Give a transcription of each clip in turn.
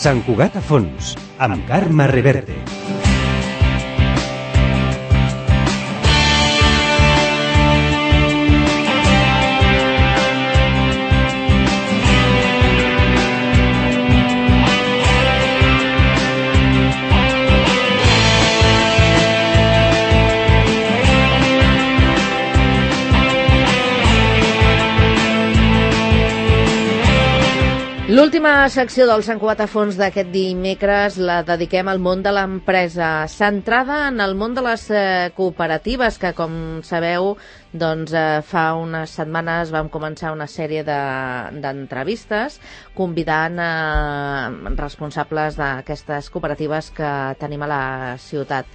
Sant Cugat a fons, amb Carme Reverte. L'última secció del Sant Cugat a fons d'aquest dimecres la dediquem al món de l'empresa, centrada en el món de les cooperatives, que com sabeu doncs, fa unes setmanes vam començar una sèrie d'entrevistes convidant responsables d'aquestes cooperatives que tenim a la ciutat.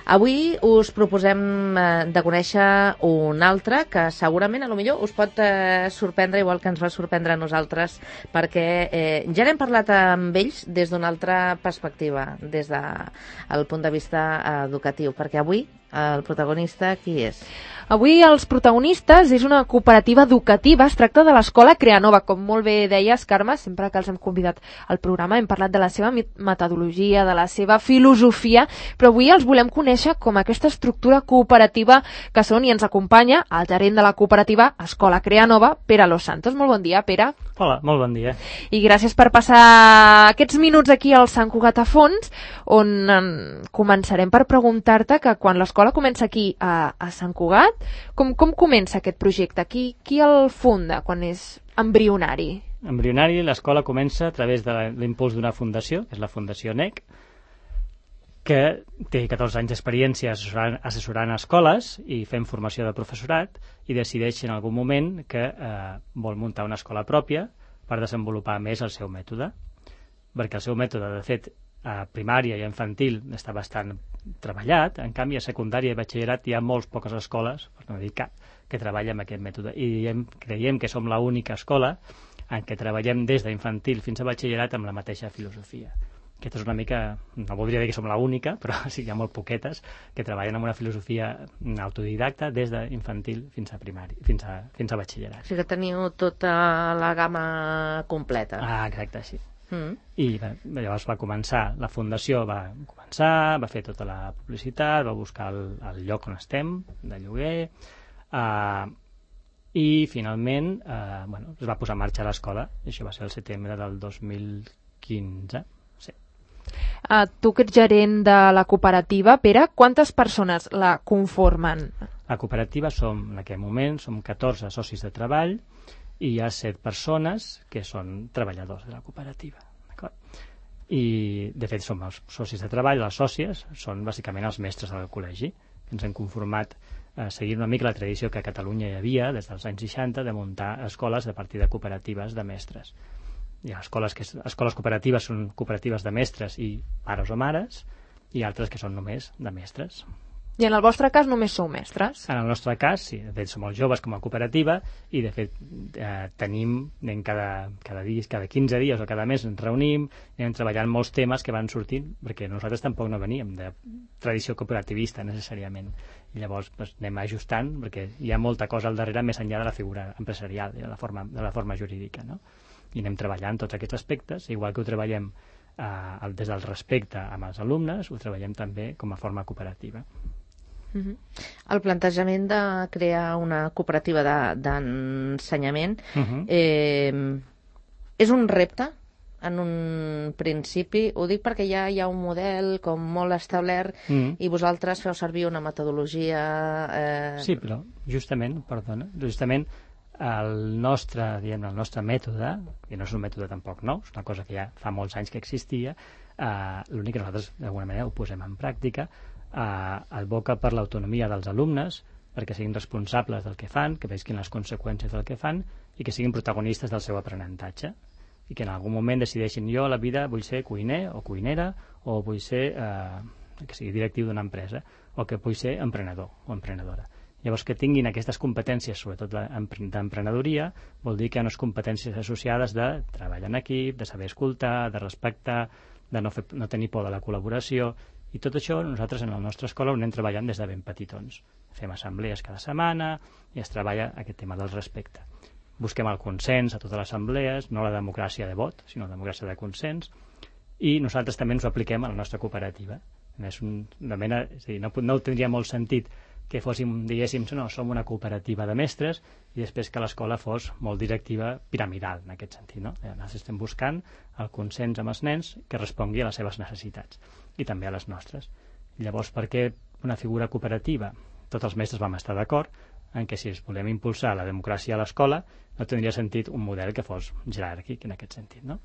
Avui us proposem de conèixer un altre que segurament potser us pot sorprendre igual que ens va sorprendre a nosaltres, perquè ja n'hem parlat amb ells des d'una altra perspectiva, des del punt de vista educatiu, perquè avui el protagonista qui és? Avui els protagonistes és una cooperativa educativa, es tracta de l'Escola Creanova. Com molt bé deies, Carme, sempre que els hem convidat al programa hem parlat de la seva metodologia, de la seva filosofia, però avui els volem conèixer com aquesta estructura cooperativa que són, i ens acompanya el gerent de la cooperativa Escola Creanova, Pere Los Santos. Molt bon dia, Pere. Hola, molt bon dia. I gràcies per passar aquests minuts aquí al Sant Cugat a fons, on començarem per preguntar-te que quan l'escola comença aquí a Sant Cugat, com comença aquest projecte? Qui el funda quan és embrionari? Embrionari, l'escola comença a través de l'impuls d'una fundació, que és la Fundació NEC, que té 14 anys d'experiència assessorant escoles i fent formació de professorat, i decideix en algun moment que vol muntar una escola pròpia per desenvolupar més el seu mètode, perquè el seu mètode, de fet, a primària i a infantil està bastant treballat. En canvi, a secundària i batxillerat hi ha molt poques escoles, per no dir cap, que treballen amb aquest mètode, i creiem que som l'única escola en què treballem des d'infantil fins a batxillerat amb la mateixa filosofia. Aquesta és una mica, no voldria dir que som l'única, però sí que hi ha molt poquetes que treballen amb una filosofia autodidacta des d'infantil fins a primari, fins a batxillerat. O sigui que teniu tota la gamma completa. Exacte, sí. I llavors va començar, la fundació va fer tota la publicitat, va buscar el lloc on estem, de lloguer, i finalment es va posar en marxa l'escola. Això va ser el setembre del 2015. Sí. Tu que ets gerent de la cooperativa, Pere, quantes persones la conformen? La cooperativa en aquest moment som 14 socis de treball, i hi ha 7 persones que són treballadors de la cooperativa. I, de fet, som els socis de treball, les sòcies són bàsicament els mestres del col·legi, que ens hem conformat seguint una mica la tradició que a Catalunya hi havia des dels anys 60 de muntar escoles a partir de cooperatives de mestres. Hi ha escoles cooperatives són cooperatives de mestres i pares o mares, i altres que són només de mestres. I en el vostre cas només sou mestres? En el nostre cas, sí. De fet, som els joves com a cooperativa i, de fet, tenim cada 15 dies o cada mes ens reunim i anem treballant molts temes que van sortint, perquè nosaltres tampoc no veníem de tradició cooperativista, necessàriament. I llavors anem ajustant, perquè hi ha molta cosa al darrere més enllà de la figura empresarial, de la forma jurídica, no? I anem treballant tots aquests aspectes, igual que ho treballem des del respecte amb els alumnes, ho treballem també com a forma cooperativa. El plantejament de crear una cooperativa d'ensenyament és un repte en un principi? Ho dic perquè ja hi ha un model com molt establert i vosaltres feu servir una metodologia... Sí, però justament el nostre mètode, que no és un mètode tampoc nou, és una cosa que ja fa molts anys que existia, l'únic que nosaltres d'alguna manera ho posem en pràctica, advoca per l'autonomia dels alumnes, perquè siguin responsables del que fan, que vesquin les conseqüències del que fan i que siguin protagonistes del seu aprenentatge, i que en algun moment decideixin: jo a la vida vull ser cuiner o cuinera, o vull ser que sigui directiu d'una empresa, o que vull ser emprenedor o emprenedora. Llavors, que tinguin aquestes competències, sobretot d'emprenedoria, vol dir que hi ha unes competències associades de treball en equip, de saber escoltar, de respectar, de no tenir por de la col·laboració. I tot això nosaltres en la nostra escola ho anem treballant des de ben petitons. Fem assemblees cada setmana i es treballa aquest tema del respecte. Busquem el consens a totes les assemblees, no la democràcia de vot, sinó la democràcia de consens, i nosaltres també ens ho apliquem a la nostra cooperativa. És una mena, és a dir, no tindria molt sentit que fóssim, diguéssim, no, som una cooperativa de mestres i després que l'escola fos molt directiva, piramidal, en aquest sentit. No? Nosaltres estem buscant el consens amb els nens que respongui a les seves necessitats i també a les nostres. Llavors, per què una figura cooperativa? Tots els mestres vam estar d'acord en que si es volem impulsar la democràcia a l'escola no tindria sentit un model que fos jeràrquic en aquest sentit. No?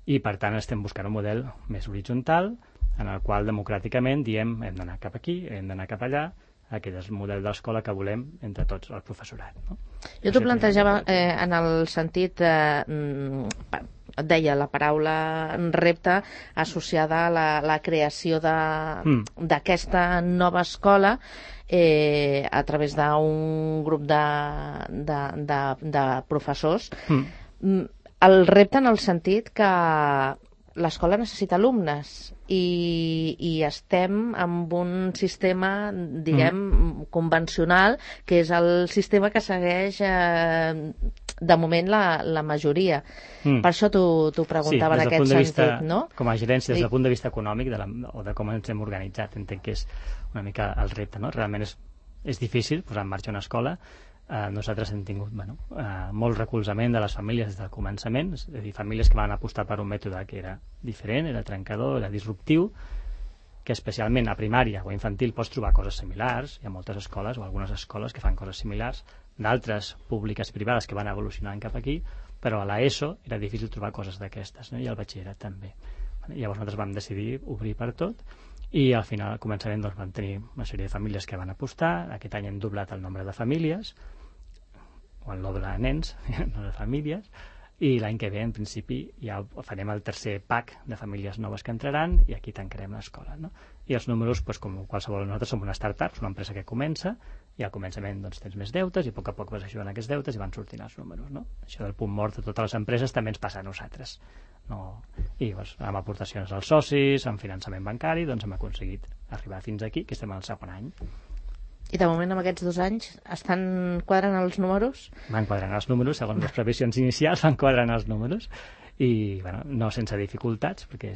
I per tant estem buscant un model més horitzontal en el qual democràticament diem hem d'anar cap aquí, hem d'anar cap allà, aquest és el model d'escola que volem entre tots el professorat. No? Jo t'ho plantejava en el sentit, et deia la paraula repte associada a la creació d'aquesta nova escola a través d'un grup de professors. El repte en el sentit que l'escola necessita alumnes i estem amb un sistema, diguem, convencional, que és el sistema que segueix de moment la majoria. Per això t'ho preguntava en aquest sentit, no? Com a gerència, des del punt de vista econòmic o de com ens hem organitzat, entenc que és una mica el repte, no? Realment és difícil posar en marxa una escola. Nosaltres hem tingut molt recolzament de les famílies des del començament, és a dir, famílies que van apostar per un mètode que era diferent, era trencador, era disruptiu, que especialment a primària o a infantil pots trobar coses similars. Hi ha moltes escoles o algunes escoles que fan coses similars, d'altres públiques i privades que van evolucionant cap aquí, però a l'ESO era difícil trobar coses d'aquestes, no? I al batxillerat també. Llavors nosaltres vam decidir obrir per tot i al final, al començament, vam tenir una sèrie de famílies que van apostar. Aquest any hem doblat el nombre de famílies, o el nombre de nens, no de famílies, i l'any que ve, en principi, ja farem el tercer pack de famílies noves que entraran i aquí tancarem l'escola. No? I els números, com qualsevol, nosaltres som una startup, una empresa que comença, i al començament tens més deutes i a poc vas ajudant aquests deutes i van sortint els números. No? Això del punt mort de totes les empreses també ens passa a nosaltres. No? I amb aportacions als socis, amb finançament bancari, doncs hem aconseguit arribar fins aquí, que estem al segon any. I de moment, amb aquests 2 anys, estan quadrant els números? Van quadrant els números, segons les previsions inicials, van quadrant els números, i no sense dificultats, perquè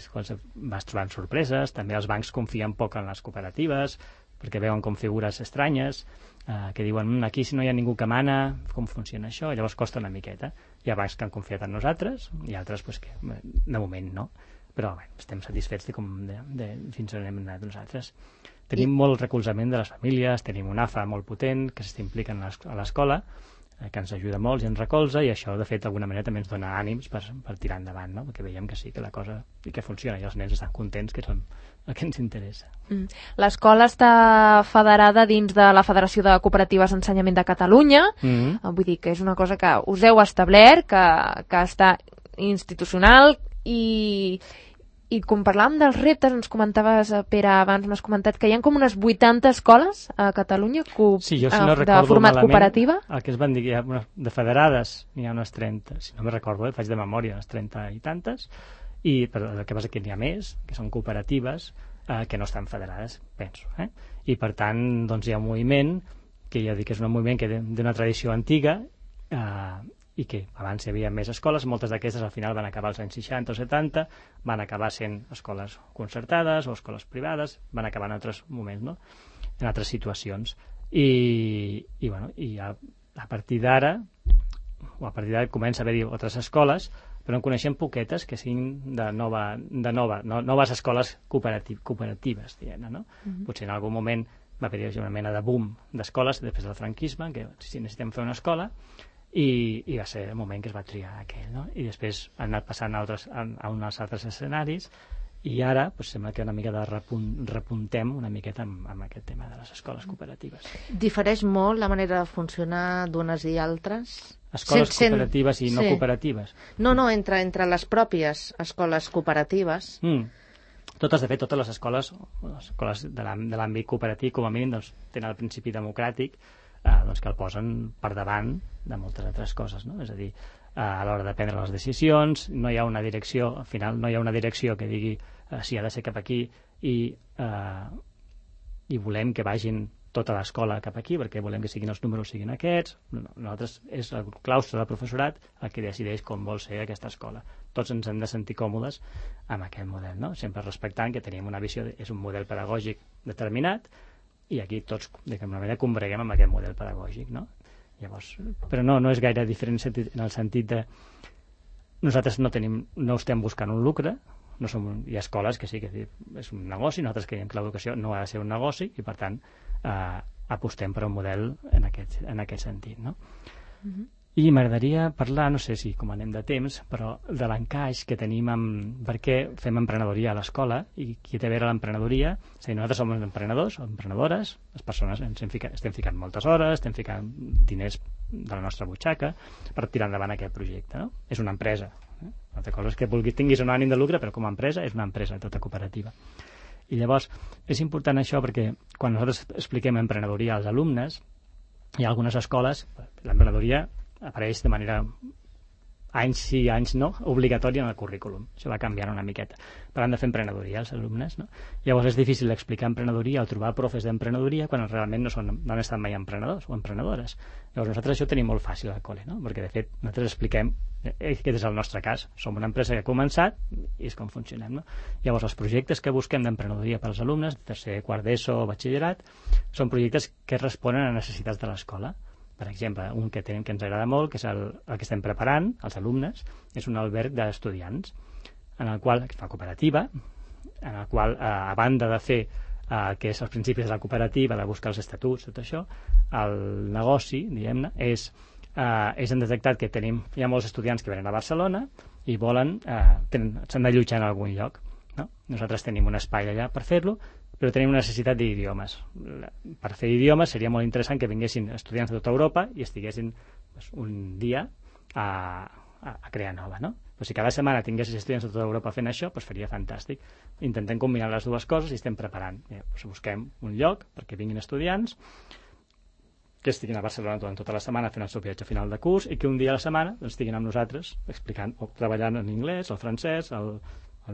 vas trobant sorpreses, també els bancs confien poc en les cooperatives, perquè veuen com figures estranyes, que diuen, aquí si no hi ha ningú que mana, com funciona això? I llavors costa una miqueta. Hi ha bancs que han confiat en nosaltres, i altres que de moment no. Però estem satisfets de fins on hem anat nosaltres. Tenim molt recolzament de les famílies, tenim un AFA molt potent que s'impliquen a l'escola, que ens ajuda molt i ens recolza, i això, de fet, d'alguna manera també ens dona ànims per tirar endavant, no? Perquè veiem que sí, que la cosa i que funciona, i els nens estan contents, que és el que ens interessa. L'escola està federada dins de la Federació de Cooperatives d'Ensenyament de Catalunya, vull dir que és una cosa que us heu establert, que està institucional, i com parlàvem dels reptes, ens comentaves, Pere, abans m'has comentat que hi ha com unes 80 escoles a Catalunya sí, jo, si no de format cooperativa. El que es van dir, de federades n'hi ha unes 30, si no me recordo, faig de memòria, unes 30 i tantes, però el que passa que n'hi ha més, que són cooperatives que no estan federades, penso. I per tant, doncs hi ha un moviment, que ja dic que és un moviment que d'una tradició antiga, i que abans hi havia més escoles, moltes d'aquestes al final van acabar als anys 60 o 70, van acabar sent escoles concertades o escoles privades, van acabar en altres moments, no? En altres situacions. I a partir d'ara comença a haver-hi altres escoles, però en coneixem poquetes que siguin de noves escoles cooperatives, diguem-ne, no? Potser en algun moment va haver-hi una mena de boom d'escoles després del franquisme, que si necessitem fer una escola, i va ser el moment que es va triar aquell, no? I després han anat passant a uns altres escenaris, i ara sembla que una mica repuntem una miqueta amb aquest tema de les escoles cooperatives. Difereix molt la manera de funcionar d'unes i altres? Escoles cooperatives i no cooperatives? No, entre les pròpies escoles cooperatives. Totes, de fet, totes les escoles de l'àmbit cooperatiu, com a mínim, tenen el principi democràtic, que el posen per davant de moltes altres coses, no? És a dir, a l'hora de prendre les decisions no hi ha una direcció, al final no hi ha una direcció que digui si ha de ser cap aquí i volem que vagin tota l'escola cap aquí, perquè volem que siguin els números siguin aquests. Nosaltres és el claustre del professorat el que decideix com vol ser aquesta escola. Tots ens hem de sentir còmodes amb aquest model, no? Sempre respectant que tenim una visió, és un model pedagògic determinat, i aquí tots, d'alguna manera, combreguem amb aquest model pedagògic, no? Llavors, però no és gaire diferent en el sentit de nosaltres no estem buscant un lucre, hi ha escoles que sí que és un negoci, nosaltres creiem que l'educació no ha de ser un negoci i per tant apostem per un model en aquest sentit, no? I m'agradaria parlar, no sé si com anem de temps, però de l'encaix que tenim per què fem emprenedoria a l'escola i qui té a veure l'emprenedoria. És a dir, nosaltres som emprenedors o emprenedores, les persones estem ficant moltes hores, estem ficant diners de la nostra butxaca per tirar endavant aquest projecte, no? És una empresa. Una altra cosa és que tinguis un ànim de lucre, però com a empresa és una empresa tota cooperativa. I llavors és important això perquè quan nosaltres expliquem emprenedoria als alumnes, hi ha algunes escoles, l'emprenedoria apareix de manera anys sí, anys no, obligatòria en el currículum. Això va canviant una miqueta. Però han de fer emprenedoria els alumnes, no? Llavors és difícil explicar emprenedoria o trobar profes d'emprenedoria quan realment no han estat mai emprenedors o emprenedores. Llavors nosaltres això ho tenim molt fàcil al col·le, no? Perquè de fet nosaltres expliquem, aquest és el nostre cas, som una empresa que ha començat i és com funcionem, no? Llavors els projectes que busquem d'emprenedoria per als alumnes, tercer, quart d'ESO o batxillerat, són projectes que responen a necessitats de l'escola. Per exemple, un que ens agrada molt, que és el que estem preparant, els alumnes, és un alberg d'estudiants, en el qual es fa cooperativa, en el qual, a banda de fer que és els principis de la cooperativa, de buscar els estatuts, tot això, el negoci, diguem-ne, hem detectat que hi ha molts estudiants que venen a Barcelona i s'han d'allotjar en algun lloc, no? Nosaltres tenim un espai allà per fer-lo, però tenim una necessitat d'idiomes. Per fer idiomes seria molt interessant que vinguessin estudiants de tota Europa i estiguessin un dia a crear nova, no? Però si cada setmana tinguessis estudiants de tota Europa fent això, faria fantàstic. Intentem combinar les dues coses i estem preparant. Busquem un lloc perquè vinguin estudiants que estiguin a Barcelona durant tota la setmana fent el seu viatge final de curs i que un dia a la setmana estiguin amb nosaltres explicant o treballant en anglès, el francès, el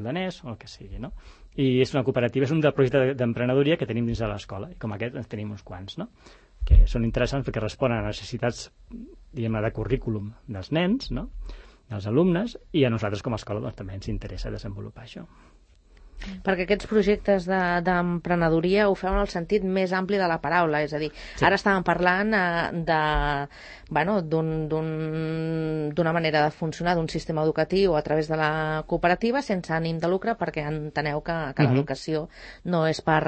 danès o el que sigui, no? I és una cooperativa, és un projecte d'emprenedoria que tenim dins de l'escola, i com aquest en tenim uns quants, no? Que són interessants perquè responen a necessitats, diguem-ne, de currículum dels nens, no? Dels alumnes, i a nosaltres com a escola també ens interessa desenvolupar això. Perquè aquests projectes d'emprenedoria ho feu en el sentit més ampli de la paraula, és a dir, ara estàvem parlant d'una manera de funcionar d'un sistema educatiu a través de la cooperativa sense ànim de lucre perquè enteneu que l'educació no és per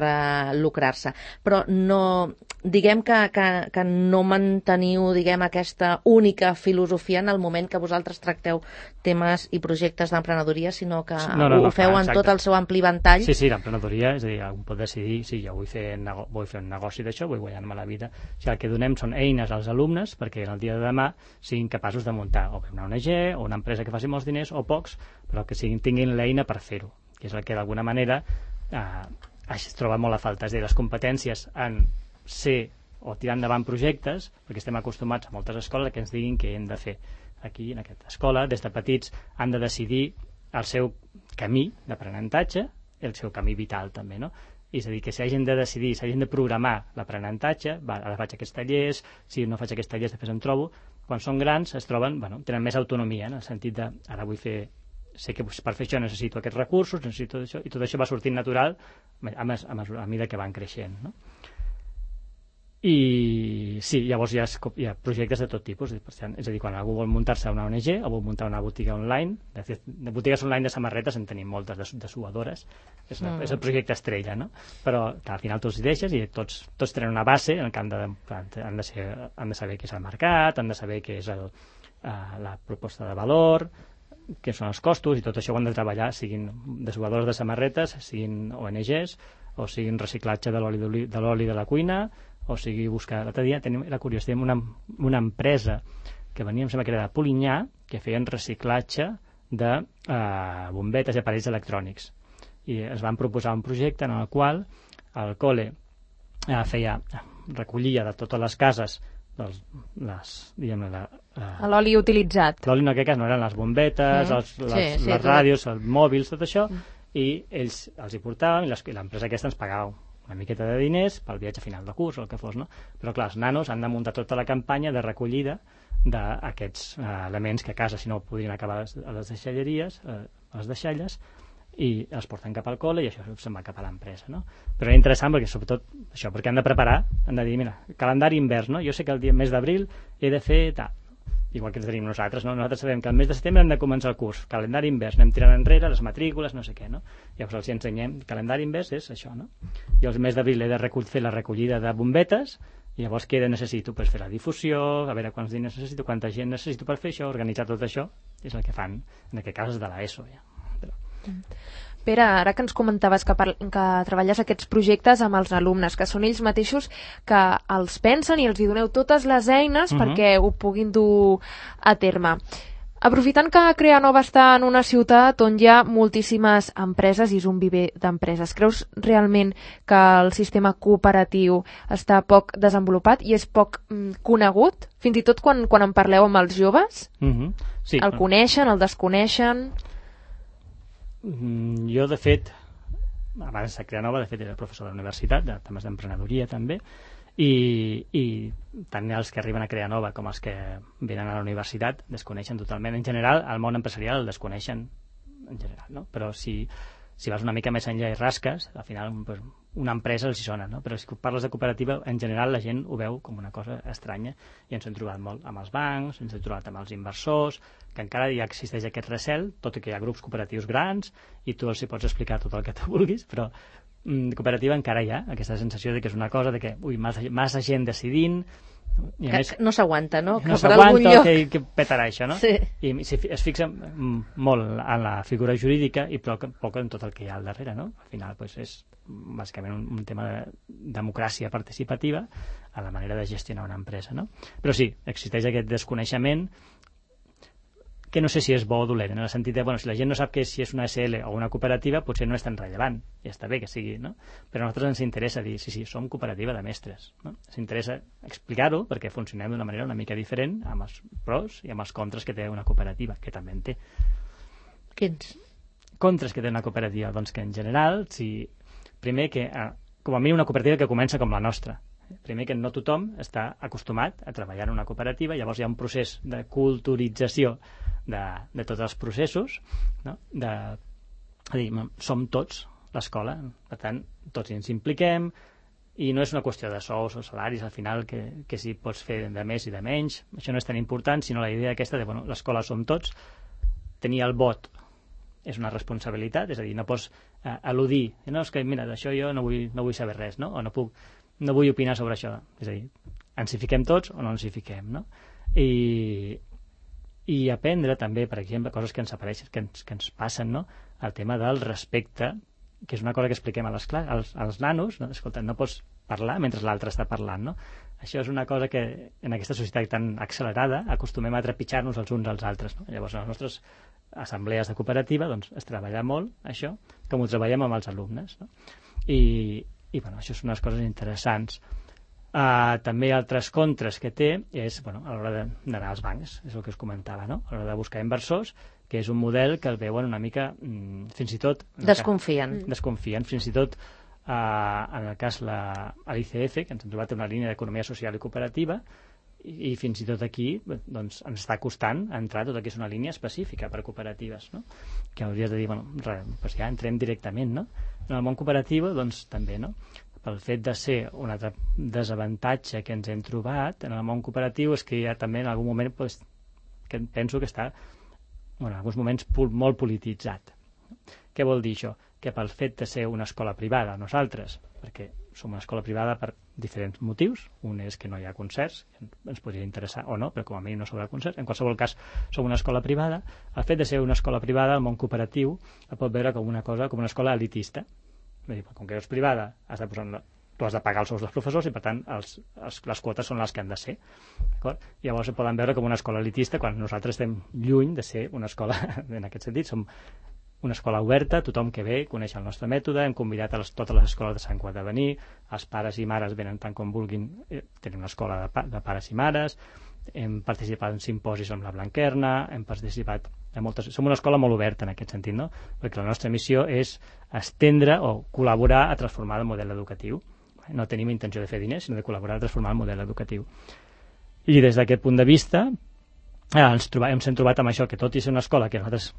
lucrar-se. Però no, diguem que no manteniu aquesta única filosofia en el moment que vosaltres tracteu temes i projectes d'emprenedoria, sinó que ho feu en tot el seu ampli ventall. Sí, l'emprenedoria, és a dir, algú pot decidir, sí, jo vull fer un negoci d'això, vull guanyar-me la vida. O sigui, el que donem són eines als alumnes perquè en el dia de demà siguin capaços de muntar o una ONG o una empresa que faci molts diners o pocs, però que tinguin l'eina per fer-ho, que és el que d'alguna manera es troba molt a falta. És a dir, les competències en ser o tirar endavant projectes, perquè estem acostumats a moltes escoles que ens diguin què hem de fer. Aquí, en aquesta escola, des de petits han de decidir el seu camí d'aprenentatge i el seu camí vital també, no? És a dir, que s'hagin de decidir, s'hagin de programar l'aprenentatge, ara faig aquests tallers, si no faig aquests tallers després em trobo, quan són grans es troben, tenen més autonomia, en el sentit de, ara sé que per fer això necessito aquests recursos, necessito això, i tot això va sortint natural a mesura que van creixent, no? I sí, llavors hi ha projectes de tot tipus, és a dir, quan algú vol muntar-se una ONG o vol muntar una botiga online, de botigues online de samarretes en tenim moltes, de suadores, és el projecte estrella, no? Però al final tots hi deixes i tots tenen una base en què han de saber què és el mercat, han de saber què és la proposta de valor, què són els costos, i tot això ho han de treballar, siguin dessuadors de samarretes, siguin ONGs, o siguin reciclatge de l'oli de la cuina, o sigui, l'altre dia era curiós, tenim una empresa que venia, em sembla que era de Polinyà, que feien reciclatge de bombetes i aparells electrònics. I es van proposar un projecte en el qual el col·le recollia de totes les cases l'oli utilitzat. L'oli en aquest cas no eren les bombetes, les ràdios, els mòbils, tot això, i ells els hi portaven i l'empresa aquesta ens pagava una miqueta de diners pel viatge final de curs o el que fos, no? Però clar, els nanos han de muntar tota la campanya de recollida d'aquests elements que a casa, si no, podrien acabar a les deixalleries, a les deixalles, i els porten cap al col·le i això se'n va cap a l'empresa, no? Però és interessant perquè, sobretot, això, perquè han de preparar, han de dir, mira, calendari invers, no? Jo sé que el mes d'abril he de fer tal, igual que tenim nosaltres, no? Nosaltres sabem que el mes de setembre hem de començar el curs, calendari invers, anem tirant enrere les matrícules, no sé què, no? Llavors els ensenyem, calendari invers és això, no? I el mes d'abril he de fer la recollida de bombetes, i llavors què necessito? Pues fer la difusió, a veure quants diners necessito, quanta gent necessito per fer això, organitzar tot això, és el que fan, en aquest cas és de l'ESO, ja. Pere, ara que ens comentaves que treballes aquests projectes amb els alumnes, que són ells mateixos que els pensen i els hi doneu totes les eines perquè ho puguin dur a terme. Aprofitant que Creanova està en una ciutat on hi ha moltíssimes empreses i és un viver d'empreses, creus realment que el sistema cooperatiu està poc desenvolupat i és poc conegut? Fins i tot quan en parleu amb els joves? Sí. El coneixen, el desconeixen? Jo, de fet, abans de Creanova, de fet, era professor de la universitat, de temes d'emprenedoria també, i tant els que arriben a Creanova com els que venen a la universitat desconeixen totalment. En general, el món empresarial el desconeixen en general, no? Però si vas una mica més enllà i rasques, al final pues, una empresa els hi sona, no? Però si parles de cooperativa, en general la gent ho veu com una cosa estranya i ens hem trobat molt amb els bancs, ens hem trobat amb els inversors, que encara ja existeix aquest recel, tot i que hi ha grups cooperatius grans i tu els hi pots explicar tot el que tu vulguis, però cooperativa encara hi ha aquesta sensació de que és una cosa de que, massa gent decidint, i a més, no s'aguanta, no? No s'aguanta, que petarà això, no? Sí. I es fixa molt en la figura jurídica i poc en tot el que hi ha al darrere, no? Al final pues, és bàsicament un tema de democràcia participativa a la manera de gestionar una empresa, no? Però sí, existeix aquest desconeixement que no sé si és bo o dolent, en el sentit de, si la gent no sap si és una SL o una cooperativa, potser no és tan rellevant, i està bé que sigui, no? Però a nosaltres ens interessa dir, sí, som cooperativa de mestres, no? Ens interessa explicar-ho perquè funcionem d'una manera una mica diferent amb els pros i amb els contres que té una cooperativa, que també en té. Quins? Contres que té una cooperativa? Doncs que en general, primer que, com a mínim una cooperativa que comença com la nostra, primer que no tothom està acostumat a treballar en una cooperativa, llavors hi ha un procés de culturització de tots els processos, no? Som tots l'escola, per tant, tots ens impliquem i no és una qüestió de sous o salaris, al final, que si pots fer de més i de menys, això no és tan important, sinó la idea aquesta de, l'escola som tots, tenir el vot és una responsabilitat, és a dir, no pots al·ludir, no, és que mira, d'això jo no vull saber res, no? O no vull opinar sobre això, és a dir, ens hi fiquem tots o no ens hi fiquem, no? I aprendre també, per exemple, coses que ens apareixen, que ens passen, no? El tema del respecte, que és una cosa que expliquem als nanos, no? Escolta, no pots parlar mentre l'altre està parlant, no? Això és una cosa que en aquesta societat tan accelerada acostumem a trepitjar-nos els uns als altres, no? Llavors, a les nostres assemblees de cooperativa doncs, es treballa molt això, com ho treballem amb els alumnes, no? I això són unes coses interessants. També altres contres que té és a l'hora d'anar als bancs, és el que us comentava, no? A l'hora de buscar inversors, que és un model que el veuen una mica, fins i tot... Desconfien, fins i tot en el cas l'ICF, que ens hem trobat una línia d'economia social i cooperativa, i fins i tot aquí doncs, ens està costant entrar tot el que és una línia específica per cooperatives, no? Que hauries de dir, doncs ja entrem directament, no? En el món cooperatiu, doncs també, no? Pel fet de ser un altre desavantatge que ens hem trobat en el món cooperatiu és que ja també en algun moment que penso que està en alguns moments molt polititzat. Què vol dir això? Que pel fet de ser una escola privada, nosaltres, perquè som una escola privada per diferents motius, un és que no hi ha concerts, ens podria interessar o no, però com a mínim no s'haurà concerts, en qualsevol cas som una escola privada, el fet de ser una escola privada, el món cooperatiu el pot veure com una cosa, com una escola elitista. Com que és privada, tu has de pagar els sous dels professors i per tant les quotes són les que han de ser, d'acord? Llavors poden veure com una escola elitista quan nosaltres estem lluny de ser una escola en aquest sentit, som una escola oberta, tothom que ve coneix el nostre mètode, hem convidat a totes les escoles de Sant Cugat a venir, els pares i mares venen tant com vulguin, tenim una escola de pares i mares, hem participat en simposis amb la Blanquerna, hem participat en moltes... Som una escola molt oberta en aquest sentit, no? Perquè la nostra missió és estendre o col·laborar a transformar el model educatiu. No tenim intenció de fer diners, sinó de col·laborar a transformar el model educatiu. I des d'aquest punt de vista ens hem trobat amb això, que tot i ser una escola que a nosaltres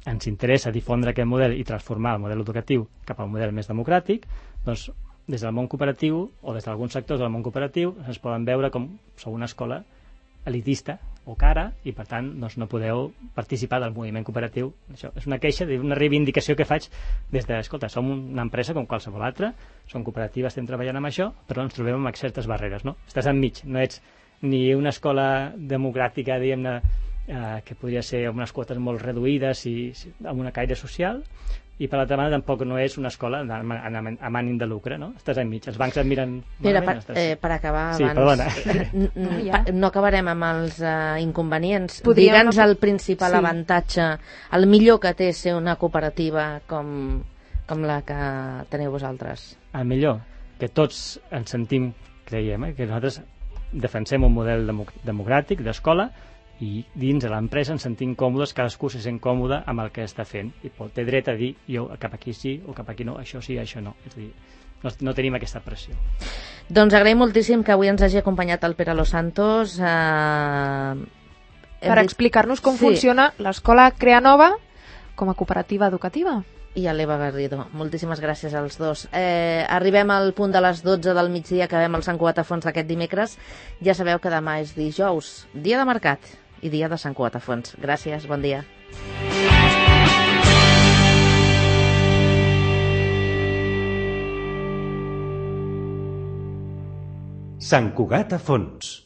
ens interessa difondre aquest model i transformar el model educatiu cap a un model més democràtic, doncs des del món cooperatiu o des d'alguns sectors del món cooperatiu es poden veure com sou una escola elitista o cara i per tant doncs, no podeu participar del moviment cooperatiu. Això és una queixa, una reivindicació que faig des de, escolta, som una empresa com qualsevol altra, som cooperatives, estem treballant amb això, però ens trobem amb certes barreres, no? Estàs enmig, no ets ni una escola democràtica, diguem-ne, que podria ser amb unes quotes molt reduïdes i amb una caire social, i per l'altra banda tampoc no és una escola amb ànim de lucre, no? Estàs enmig, els bancs et miren... Mira, per acabar sí, abans, no acabarem amb els inconvenients. Digue'ns el principal avantatge, el millor que té ser una cooperativa com la que teniu vosaltres. El millor, que tots ens sentim, creiem, que nosaltres defensem un model democràtic d'escola i dins de l'empresa ens sentim còmodes, cadascú se sent còmode amb el que està fent i té dret a dir jo cap aquí sí o cap aquí no, això sí, això no. És a dir, no tenim aquesta pressió. Doncs agraïm moltíssim que avui ens hagi acompanyat el Pere Los Santos per explicar-nos com funciona l'escola Creanova com a cooperativa educativa. I a l'Eva Garrido. Moltíssimes gràcies als dos. Arribem al punt de les 12 del migdia, acabem el Sant Cugat a Fons d'aquest dimecres. Ja sabeu que demà és dijous, dia de mercat i dia de Sant Cugat a Fons. Gràcies, bon dia. Sant Cugat a Fons.